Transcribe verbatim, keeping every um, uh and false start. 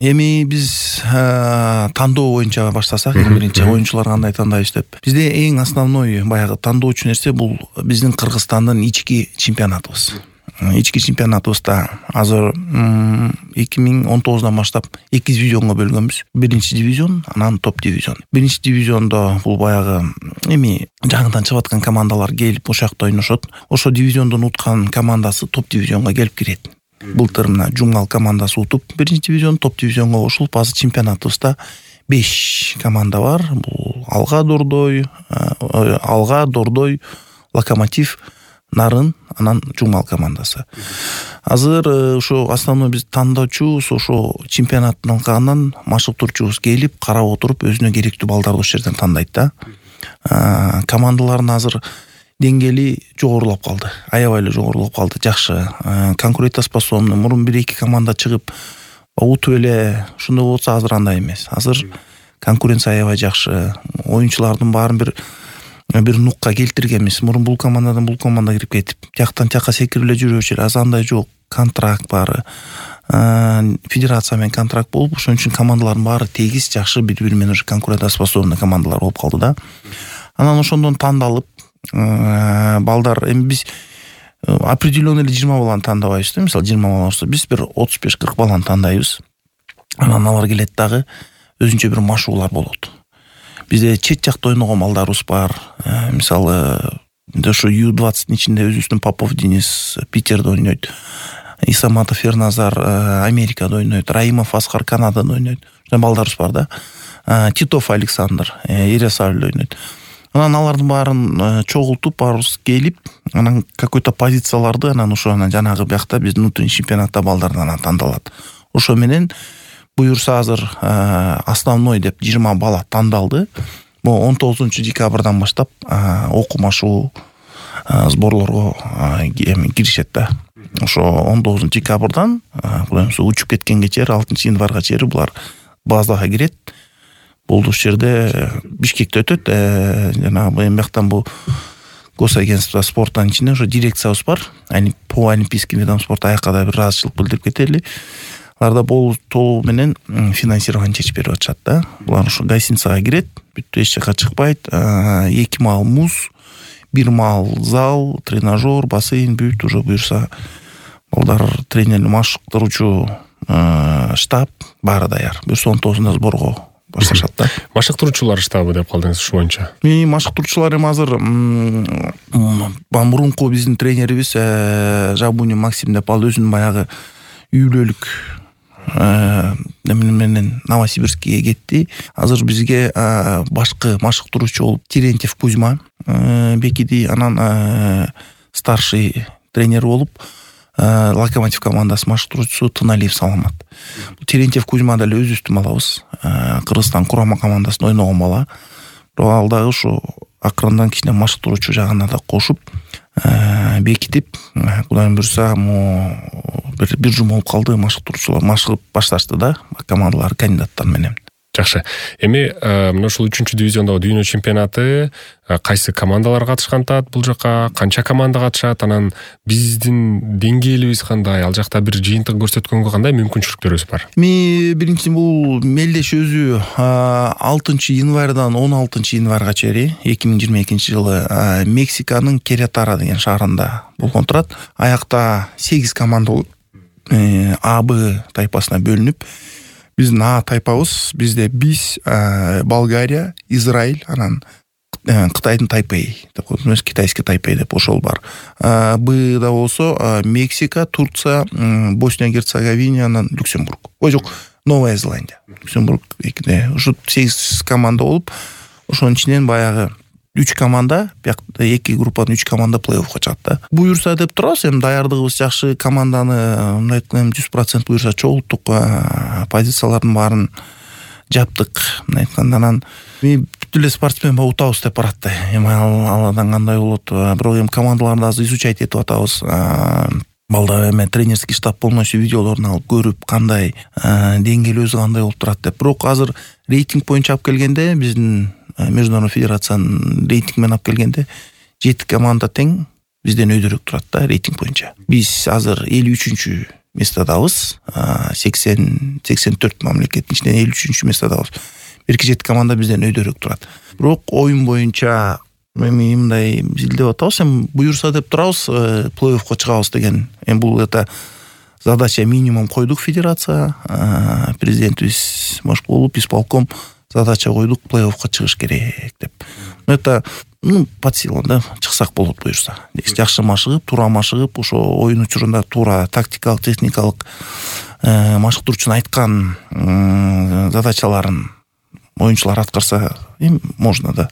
Эми биз тандоо боюнча баштасак, эң биринчи оюнчулар кандай тандайбыз деп. Бизде эң основной баягы тандоочу нерсе бул биздин Кыргызстандын ички чемпионатыбыз. Ички чемпионатыбызда азыр эки миң он тогуздан баштап эки дивизионго бөлгөнбүз. Биринчи дивизион, анан топ дивизион. Биринчи дивизиондо бул баягы эми жаңыдан чыгып аткан командалар келип ошол жакта ойношот. Ошо дивизиондон уткан командасы топ дивизионго келип кирет. Былтыр мына Жумгал командасы утуп биринчи дивизион, топ дивизионго кошулуп, азыр чемпионатыбызда беш команда бар. Бул Алга Дордой, Алга Дордой, Локомотив, Нарын, анан Жумгал командасы. Азыр ошо основной биз тандоочубуз, ошо чемпионаттын алкагынан машыктыруучубуз келип, карап отуруп, өзүнө керектүү балдарды ошол жерден тандайт да. Командалардын азыр деңгээли жогорулап калды. Аябай эле жогорулап калды. Жакшы. Конкурентоспособный. Мурун бир-эки команда чыгып утуп эле ушундай болсо, азыр андай эмес. Азыр конкуренция аябай жакшы. Оюнчулардын баарын бир бир нукка келтиргенбиз. Мурун бул командадан бул команда кирип кетип, тияктан тияка секирип эле жүрүүчү эле. Азыр андай жок. Контракт баары. Федерация менен контракт болуп, ошон үчүн командалардын баары тегиз, жакшы, бири-бири менен уже конкурентоспособный командалар болуп калды да. Анан ошондон тандалып балдар, эми биз определенный эле жыйырма баланы тандабайбыз да. Мисалы жыйырма бала болсо, биз бир отуз беш кырк баланы тандайбыз. Анан алар келет дагы өзүнчө бир машыгуулар болот. Бизде чет жакта ойногон балдарыбыз бар. Мисалы ошо ю двадцатын ичинде өзүбүздүн Попов Денис Питерде ойнойт. Исаматов Ерназар Америкада ойнойт. Раимов Аскар Канадада ойнойт. Ошондой балдарыбыз бар да. Титов Александр Ярославльде ойнойт. Анан алардын баарын чогултуп, баарыбыз келип, анан какой-то позицияларды анан ошо анан жанагы биякта биздин внутренний чемпионатта балдардан анан тандалат. Ошо менен буюрса азыр основной деп жыйырма бала тандалды. Бу он тогузунчу декабрдан баштап окумашуу сборлорго киришет да. Ошо он тогузунчу декабрдан кудайымса учуп кеткенге чейин алтынчы январга чейин булар базага кирет. Бул жерде Бишкекте өтөт. Жанагы эми бияктан бул госагентство спорттун ичинде ошо дирекциябыз бар. По олимпийским видам спорта аякка да бир ыраазычылык билдирип кетели. Аларда бул толугу менен финансирование чечип берип атышат да. Булар ошо гостиницага кирет, бүт эч жака чыкпайт. эки мал муз, бир мал зал, тренажер, бассейн, бүт уже буюрса балдар тренер, машыктыруучу штаб баары даяр. Буюрса он тогузунда сборго башташат да. Машыктыруучулар штабы деп калдыңыз ушу боюнча. Эми машыктыруучулар эми азыр мурунку биздин тренерибиз Жабунин Максим деп ал өзүнүн баягы үй бүлөлүк эмне менен Новосибирскке кетти. Азыр бизге башкы машыктыруучу болуп Терентьев Кузьма бекиди, анан старший тренер болуп Локомотив командасы машыктыруучусу Тыналиев Саламат. Терентьев Кузьма деле өзүбүздүн балабыз. Кыргызстан курама командасында ойногон бала. Бирок ал дагы ушу акырындан кичине машыктыруучу жагына да кошуп бекитип, кудайым буйрса, бир бир жума болуп калды, машыктыруучулар машыгып башташты да, командалар кандидаттар менен. Жакшы. Эми мына ушул үчүнчү дивизиондогу дүйнө чемпионаты кайсы командалар катышкан атат бул жака, канча команда катышат, анан биздин деңгээлибиз кандай, ал жакта бир жыйынтык көрсөткөнгө кандай мүмкүнчүлүктөрүбүз бар? Эми биринчи бул мелдеш өзү алтынчы январдан он алтынчы январга чейин эки миң жыйырма экинчи жылы Мексиканын Керетара деген шаарында болгон турат. Аякта сегиз команда болуп А Б тайпасына бөлүнүп, биздин А тайпабыз, бизде биз, Болгария, Израиль, анан Кытайдын Тайпей деп коет, эмес китайский Тайпей деп ошол бар. Бда болсо Мексика, Турция, Босния Герцеговина, анан Люксембург. Ой жок, Новая Зеландия. Люксембург экиде. Ошо сегиз команда болуп, ошонун ичинен баягы үч команда, биякта эки группадан үч команда плей-оффко чыгат да. Буюрса деп турабыз, эми даярдыгыбыз жакшы, команданы мындай айтканда жүз процент буюрса чогулттук, позициялардын баарын жаптык. Мындай айтканда анан бүт эле спортсмен ба утабыз деп барат да. Эми аладан кандай болот, бирок эми командаларды азыр изучать этип атабыз. Балдар эме тренерский штаб полностью видеолорун алып көрүп, кандай деңгээли өзү кандай болуп турат деп. Бирок азыр рейтинг боюнча алып келгенде, биздин Международный федерациянын рейтинг менен алып келгенде жети команда тең бизден өйдөрөөк турат да рейтинг боюнча. Биз азыр элүү үчүнчү местодабыз, сексен сексен төрт мамлекеттин ичинен элүү үчүнчү местодабыз. бир эки жети команда бизден өйдөрөөк турат. Бирок оюн боюнча эми мындай изилдеп атабыз, эми буюрса деп турабыз, плей-оффко чыгабыз деген. Эми бул это задача минимум койдук федерация, президентибиз Машкулов, исполком задача койдук, плей-оффко чыгыш керек деп. Но это ну под силам да, чыксак болот буюрса. Жакшы машыгып, туура машыгып, ошо оюн учурунда туура тактикалык, техникалык машыктыруучунун айткан задачаларын оюнчулар аткарса, эми можно да.